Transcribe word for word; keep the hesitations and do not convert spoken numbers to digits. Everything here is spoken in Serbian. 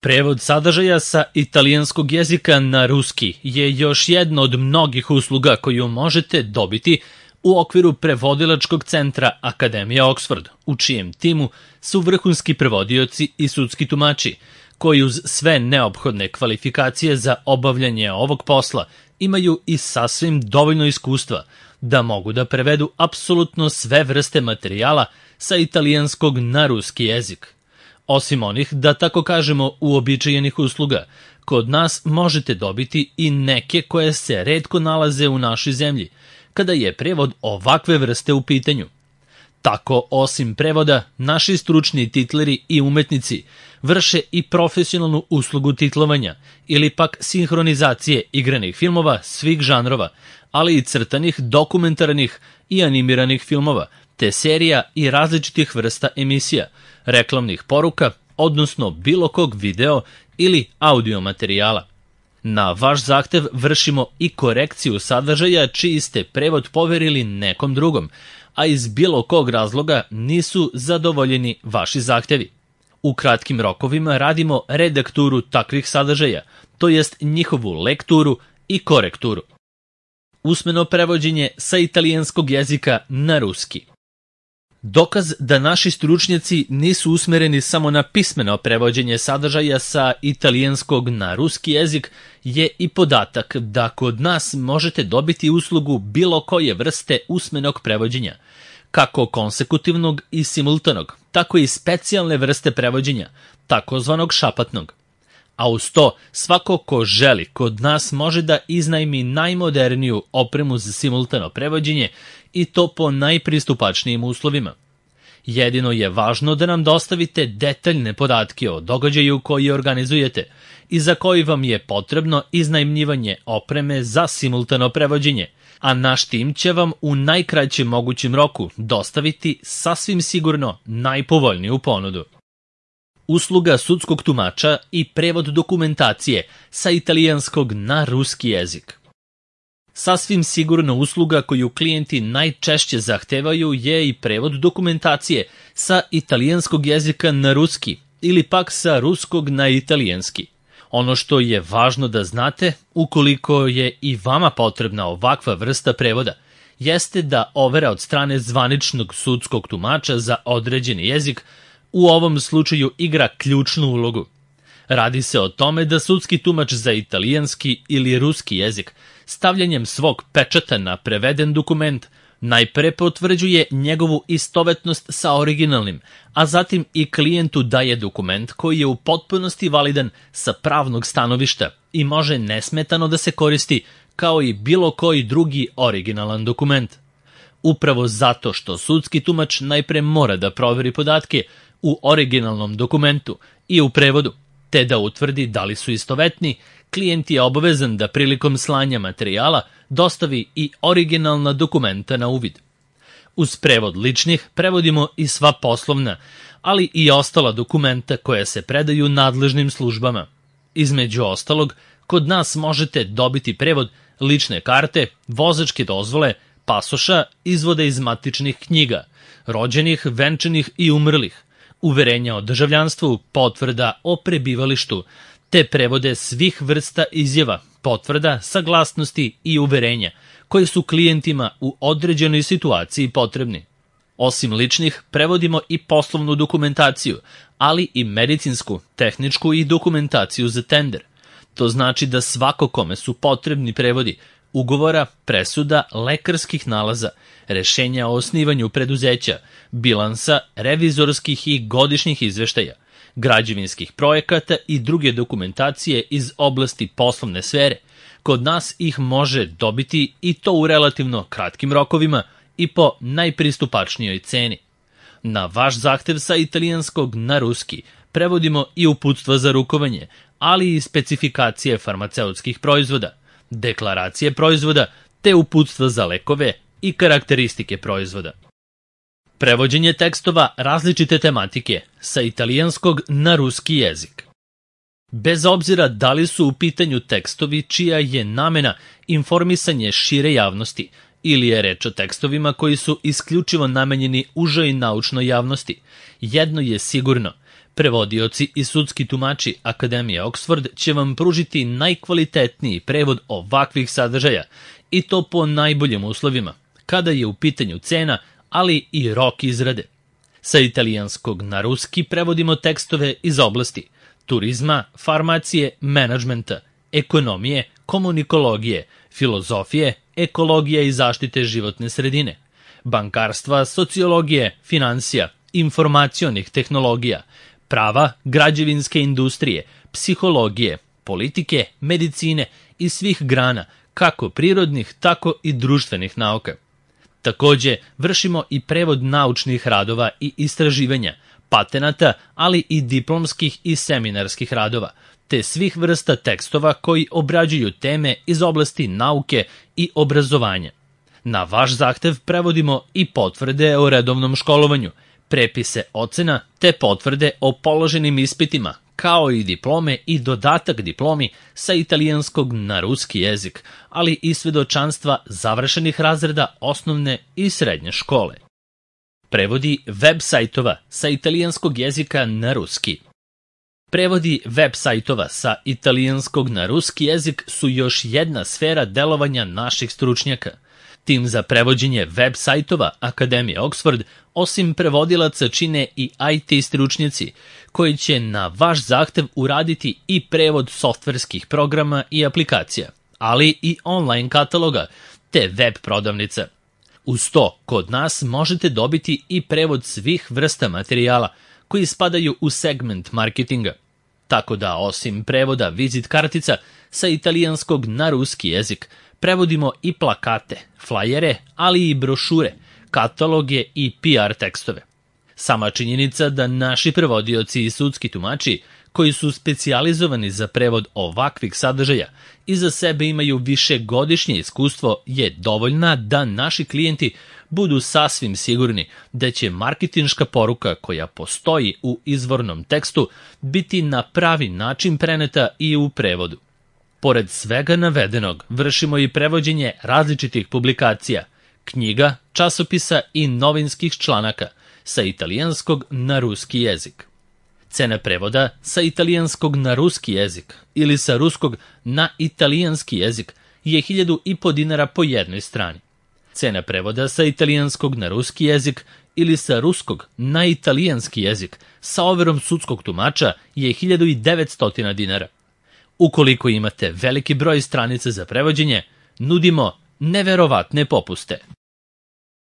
Prevod sadržaja sa italijanskog jezika na ruski je još jedna od mnogih usluga koju možete dobiti u okviru prevodilačkog centra Akademije Oxford, u čijem timu su vrhunski prevodioci i sudski tumači, koji uz sve neophodne kvalifikacije za obavljanje ovog posla imaju i sasvim dovoljno iskustva da mogu da prevedu apsolutno sve vrste materijala sa italijanskog na ruski jezik. Osim onih, da tako kažemo, uobičajenih usluga, kod nas možete dobiti i neke koje se retko nalaze u našoj zemlji, kada je prevod ovakve vrste u pitanju. Tako, osim prevoda, naši stručni titleri i umetnici vrše i profesionalnu uslugu titlovanja ili pak sinhronizacije igranih filmova svih žanrova, ali i crtanih, dokumentarnih i animiranih filmova, te serija i različitih vrsta emisija, reklamnih poruka, odnosno bilo kog video ili audio materijala. Na vaš zahtev vršimo i korekciju sadržaja čiji ste prevod poverili nekom drugom, a iz bilo kog razloga nisu zadovoljeni vaši zahtevi. U kratkim rokovima radimo redakturu takvih sadržaja, to jest njihovu lekturu i korekturu. Usmeno prevođenje sa italijanskog jezika na ruski. Dokaz da naši stručnjaci nisu usmereni samo na pismeno prevođenje sadržaja sa italijanskog na ruski jezik je i podatak da kod nas možete dobiti uslugu bilo koje vrste usmenog prevođenja, kako konsekutivnog i simultanog, tako i specijalne vrste prevođenja, takozvanog šapatnog. A uz to, svako ko želi kod nas može da iznajmi najmoderniju opremu za simultano prevođenje i to po najpristupačnijim uslovima. Jedino je važno da nam dostavite detaljne podatke o događaju koji organizujete i za koji vam je potrebno iznajmljivanje opreme za simultano prevođenje, a naš tim će vam u najkraćem mogućem roku dostaviti sasvim sigurno najpovoljniju ponudu. Usluga sudskog tumača i prevod dokumentacije sa italijanskog na ruski jezik. Sasvim sigurno usluga koju klijenti najčešće zahtevaju je i prevod dokumentacije sa italijanskog jezika na ruski ili pak sa ruskog na italijanski. Ono što je važno da znate, ukoliko je i vama potrebna ovakva vrsta prevoda, jeste da overa od strane zvaničnog sudskog tumača za određeni jezik u ovom slučaju igra ključnu ulogu. Radi se o tome da sudski tumač za italijanski ili ruski jezik stavljanjem svog pečata na preveden dokument najpre potvrđuje njegovu istovetnost sa originalnim, a zatim i klijentu daje dokument koji je u potpunosti validan sa pravnog stanovišta i može nesmetano da se koristi kao i bilo koji drugi originalan dokument. Upravo zato što sudski tumač najpre mora da proveri podatke u originalnom dokumentu i u prevodu, te da utvrdi da li su istovetni, klijent je obavezan da prilikom slanja materijala dostavi i originalna dokumenta na uvid. Uz prevod ličnih prevodimo i sva poslovna, ali i ostala dokumenta koja se predaju nadležnim službama. Između ostalog, kod nas možete dobiti prevod lične karte, vozačke dozvole, pasoša, izvoda iz matičnih knjiga, rođenih, venčanih i umrlih, uverenja o državljanstvu, potvrda o prebivalištu, te prevode svih vrsta izjava, potvrda, saglasnosti i uverenja, koje su klijentima u određenoj situaciji potrebni. Osim ličnih, prevodimo i poslovnu dokumentaciju, ali i medicinsku, tehničku i dokumentaciju za tender. To znači da svako kome su potrebni prevodi ugovora, presuda, lekarskih nalaza, rešenja o osnivanju preduzeća, bilansa, revizorskih i godišnjih izveštaja, građevinskih projekata i druge dokumentacije iz oblasti poslovne sfere, kod nas ih može dobiti i to u relativno kratkim rokovima i po najpristupačnijoj ceni. Na vaš zahtev sa italijanskog na ruski prevodimo i uputstva za rukovanje, ali i specifikacije farmaceutskih proizvoda, deklaracije proizvoda, te uputstva za lekove i karakteristike proizvoda. Prevođenje tekstova različite tematike sa italijanskog na ruski jezik. Bez obzira da li su u pitanju tekstovi čija je namena informisanje šire javnosti ili je reč o tekstovima koji su isključivo namenjeni užoj naučnoj javnosti, jedno je sigurno, Prevodioci i sudski tumači Akademije Oxford će vam pružiti najkvalitetniji prevod ovakvih sadržaja i to po najboljim uslovima, kada je u pitanju cena, ali i rok izrade. Sa italijanskog na ruski prevodimo tekstove iz oblasti turizma, farmacije, menadžmenta, ekonomije, komunikologije, filozofije, ekologije i zaštite životne sredine, bankarstva, sociologije, finansija, informacionih tehnologija, prava, građevinske industrije, psihologije, politike, medicine i svih grana, kako prirodnih, tako i društvenih nauka. Takođe, vršimo i prevod naučnih radova i istraživanja, patenata, ali i diplomskih i seminarskih radova, te svih vrsta tekstova koji obrađuju teme iz oblasti nauke i obrazovanja. Na vaš zahtev prevodimo i potvrde o redovnom školovanju, prepise ocena te potvrde o položenim ispitima, kao i diplome i dodatak diplomi sa italijanskog na ruski jezik, ali i svedočanstva završenih razreda osnovne i srednje škole. Prevodi web sajtova sa italijanskog jezika na ruski. Prevodi web sajtova sa italijanskog na ruski jezik su još jedna sfera delovanja naših stručnjaka. Tim za prevođenje web sajtova Akademije Oxford osim prevodilaca čine i I T stručnjaci, koji će na vaš zahtev uraditi i prevod softverskih programa i aplikacija, ali i online kataloga, te web prodavnica. Uz to, kod nas možete dobiti i prevod svih vrsta materijala koji spadaju u segment marketinga. Tako da, osim prevoda vizit kartica sa italijanskog na ruski jezik, prevodimo i plakate, flajere, ali i brošure, kataloge i P R tekstove. Sama činjenica da naši prevodioci i sudski tumači, koji su specijalizovani za prevod ovakvih sadržaja, iza sebe imaju višegodišnje iskustvo, je dovoljna da naši klijenti budu sasvim sigurni da će marketinška poruka koja postoji u izvornom tekstu biti na pravi način preneta i u prevodu. Pored svega navedenog, vršimo i prevođenje različitih publikacija, knjiga, časopisa i novinskih članaka sa italijanskog na ruski jezik. Cena prevoda sa italijanskog na ruski jezik ili sa ruskog na italijanski jezik je hiljadu i po dinara po jednoj strani. Cena prevoda sa italijanskog na ruski jezik ili sa ruskog na italijanski jezik sa overom sudskog tumača je hiljadu i devetsto dinara. Ukoliko imate veliki broj stranica za prevođenje, nudimo neverovatne popuste.